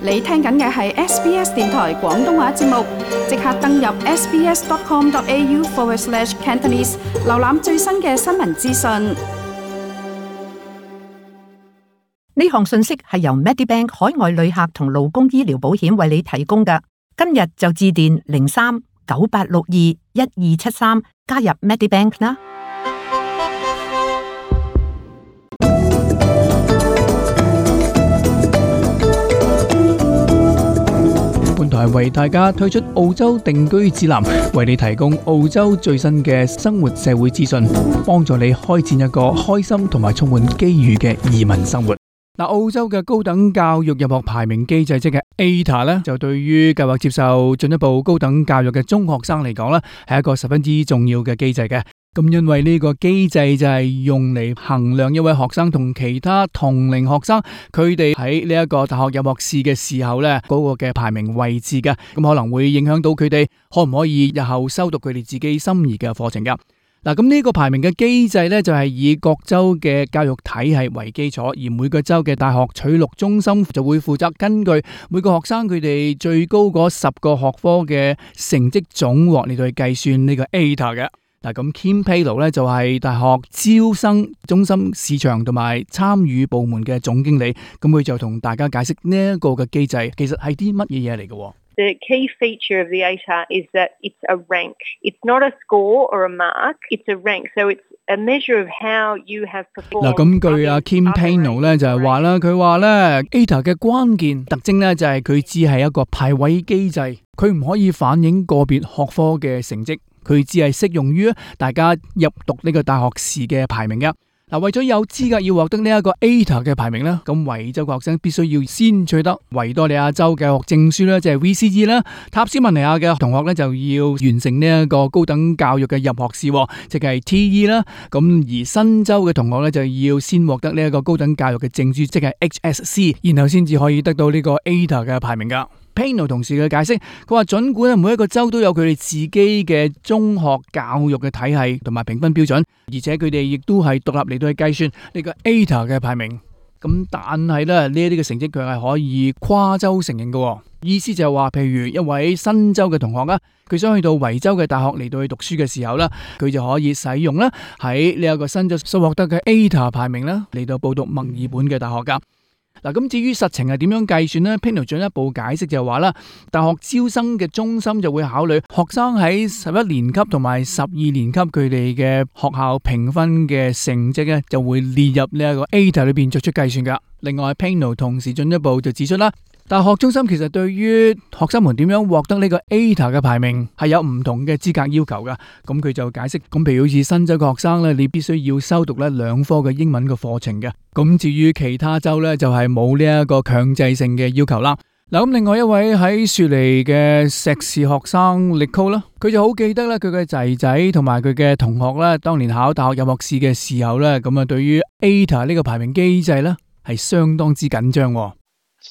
你聽緊嘅係 SBS 電台廣東話節目，即刻登入 sbs.com.au/Cantonese， 瀏覽最新嘅新聞資訊。呢項信息係由 Medibank 海外旅客同勞工醫療保險為你提供嘅。今日就致電03-9862-1273加入 Medibank 啦。本台為大家推出澳洲定居指南，為你提供澳洲最新嘅生活社會資訊，幫助你開展一個開心同埋充滿機遇嘅移民生活。澳洲嘅高等教育入學排名機制即係 ATAR 咧，就對於計劃接受進一步高等教育嘅中學生嚟講咧，係一個十分之重要嘅機制嘅。咁因為呢個機制就係用嚟衡量一位學生同其他同齡學生，佢哋喺呢一個大學入學試嘅時候咧，嗰個嘅排名位置嘅，咁可能會影響到佢哋可唔可以日後修讀佢哋自己心儀嘅課程噶。咁呢個排名嘅機制呢，就係以各州嘅教育體系為基礎，而每個州嘅大學取錄中心就會負責根據每個學生佢哋最高嗰10個學科嘅成績總和嚟到去計算呢個 ATAR 嘅。咁 Kim Payno 呢，就係大學招生中心市場同埋參與部門嘅總經理，咁佢就同大家解釋呢一個嘅機制其實係啲乜嘢嘢嚟嘅。The key feature of the ATAR is that it's a rank. It's not a score or a mark. It's a rank. So it's a measure of how you have performed. 咁據阿 Kim Payno 咧就係話啦，佢話咧 ATAR 嘅關鍵特徵咧就係佢只係一個排位機制，佢唔可以反映個別學科嘅成績，佢只係適用於大家入讀呢個大學試嘅排名嘅。為咗有資格要獲得呢一個 ATAR 嘅排名咧，咁維州嘅學生必須要先取得維多利亞州嘅學證書咧，即係 VCE 啦。塔斯曼尼亞嘅同學咧就要完成呢一個高等教育嘅入學試，即係 TE 啦。咁而新州嘅同學咧就要先獲得呢一個高等教育嘅證書，即係 HSC， 然後先至可以得到呢個 ATAR 嘅排名噶。Payno 同事嘅解釋，佢話盡管每一個州都有佢哋自己嘅中學教育嘅體系同埋評分標準，而且佢哋亦都係獨立嚟到去計算呢個 ATAR 嘅排名。咁但係咧呢一啲嘅成績佢係可以跨州承認嘅，意思就係話，譬如一位新州嘅同學啦，佢想去到維州嘅大學嚟到去讀書嘅時候咧，佢就可以使用咧喺呢一個新州所獲得嘅 ATAR 排名啦嚟到報讀墨爾本嘅大學噶。咁至於實情係點樣計算呢？ Payno 進一步解釋就話啦，大學招生嘅中心就會考慮學生喺11年級同埋12年級佢哋嘅學校評分嘅成績咧，就會列入呢一個 ATAR 裏邊作出計算噶。另外 Payno 同時進一步就指出啦，大學中心其實對於學生們點樣獲得呢個 ATAR 嘅排名係有唔同嘅資格要求噶。咁佢就解釋，咁譬如好似新州嘅學生咧，你必須要修讀咧2科嘅英文嘅課程嘅。咁至於其他州咧，就係冇呢一個強制性嘅要求啦。咁另外一位喺雪梨嘅碩士學生 Nicole 啦，佢就好記得咧佢嘅仔仔同埋佢嘅同學咧，當年考大學入學試嘅時候咧，咁對於 ATAR 呢個排名機制咧係相當之緊張。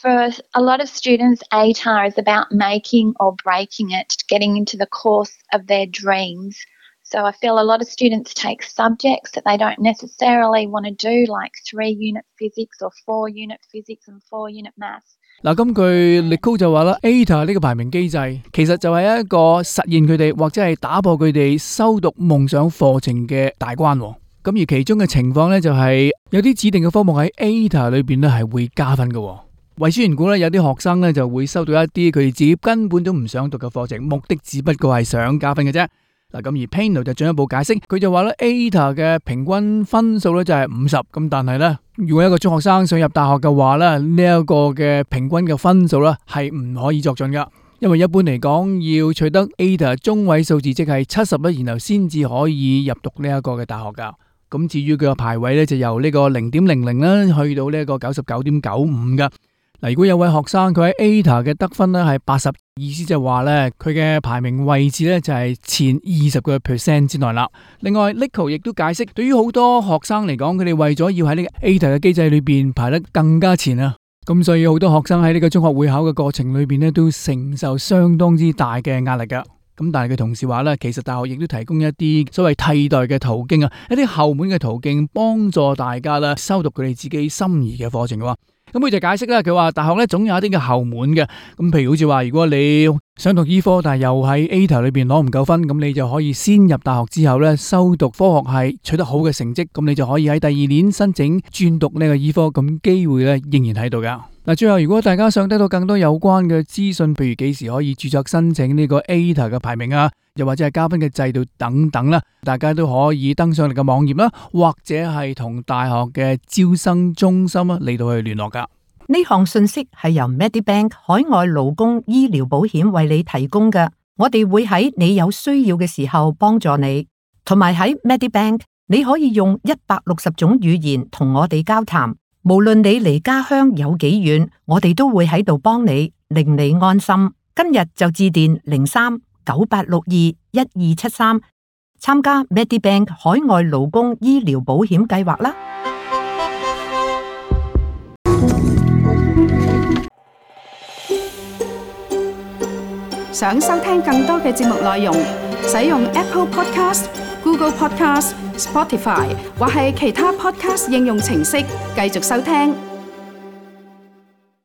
For a lot of students, ATAR is about making or breaking it, getting into the course of their dreams. So I feel a lot of students take subjects that they don't necessarily want to do, like 3-unit physics or 4-unit physics and 4-unit maths. 根據 Nicole 就話啦 ，ATAR 呢個排名機制其實就係一個實現佢哋或者係打破佢哋修讀夢想課程嘅大關。咁而其中嘅情況呢，就係有啲指定嘅科目喺 ATAR 裏邊咧係會加分嘅。為書緣故咧，有啲學生咧就會收到一啲佢哋自己根本都唔想讀嘅課程，目的只不過係想加分嘅啫。咁而 Payno 就進一步解釋，佢就話咧 ATAR 嘅平均分數咧就係50，咁但係咧，如果一個中學生想入大學嘅話咧，呢一個嘅平均嘅分數咧係唔可以作準噶，因為一般嚟講要取得 ATAR 中位數字即係70，然後先至可以入讀呢一個嘅大學噶。咁至於佢嘅排位咧就由呢個0.00啦去到呢一個99.95噶。如果有位學生佢喺 ATAR 嘅得分咧係80，意思就係話咧佢嘅排名位置咧就係前20% 之內啦。另外 Nicole 亦都解釋，對於好多學生嚟講，佢哋為咗要喺呢個 ATAR 嘅機制裏邊排得更加前啊，咁所以好多學生喺呢個中學會考嘅過程裏邊咧都承受相當之大嘅壓力噶。咁但係佢同時話咧，其實大學亦都提供一啲所謂替代嘅途徑啊，一啲後門嘅途徑，幫助大家咧修讀佢哋自己心儀嘅課程嘅。咁咁佢就解釋啦，佢話大學咧總有一啲嘅後門嘅，咁譬如好似話如果你想讀醫科，但係又喺 ATAR 裏邊攞唔夠分，咁你就可以先入大學之後咧修讀科學系，取得好嘅成績，咁你就可以喺第2年申請轉讀呢個醫科，咁機會咧仍然喺度噶。嗱，最後如果大家想得到更多有關嘅資訊，譬如幾時可以註冊申請呢個 ATAR 嘅排名啊，又或者係加分嘅制度等等啦，大家都可以登上嚟嘅網頁啦，或者係同大學嘅招生中心啊嚟到去聯絡噶。呢項信息係由 Medibank 海外勞工醫療保險為你提供嘅，我哋會喺你有需要嘅時候幫助你，同埋喺 Medibank 你可以用160種語言同我哋交談。無論你離家鄉有幾遠，我哋都會喺度幫你，令你安心。今日就致電03-9862-1273，參加 Medibank 海外勞工醫療保險計劃啦。想收聽更多嘅節目內容，使用 Apple Podcast、Google Podcast、Spotify 或係其他 Podcast 應用程式繼續收聽。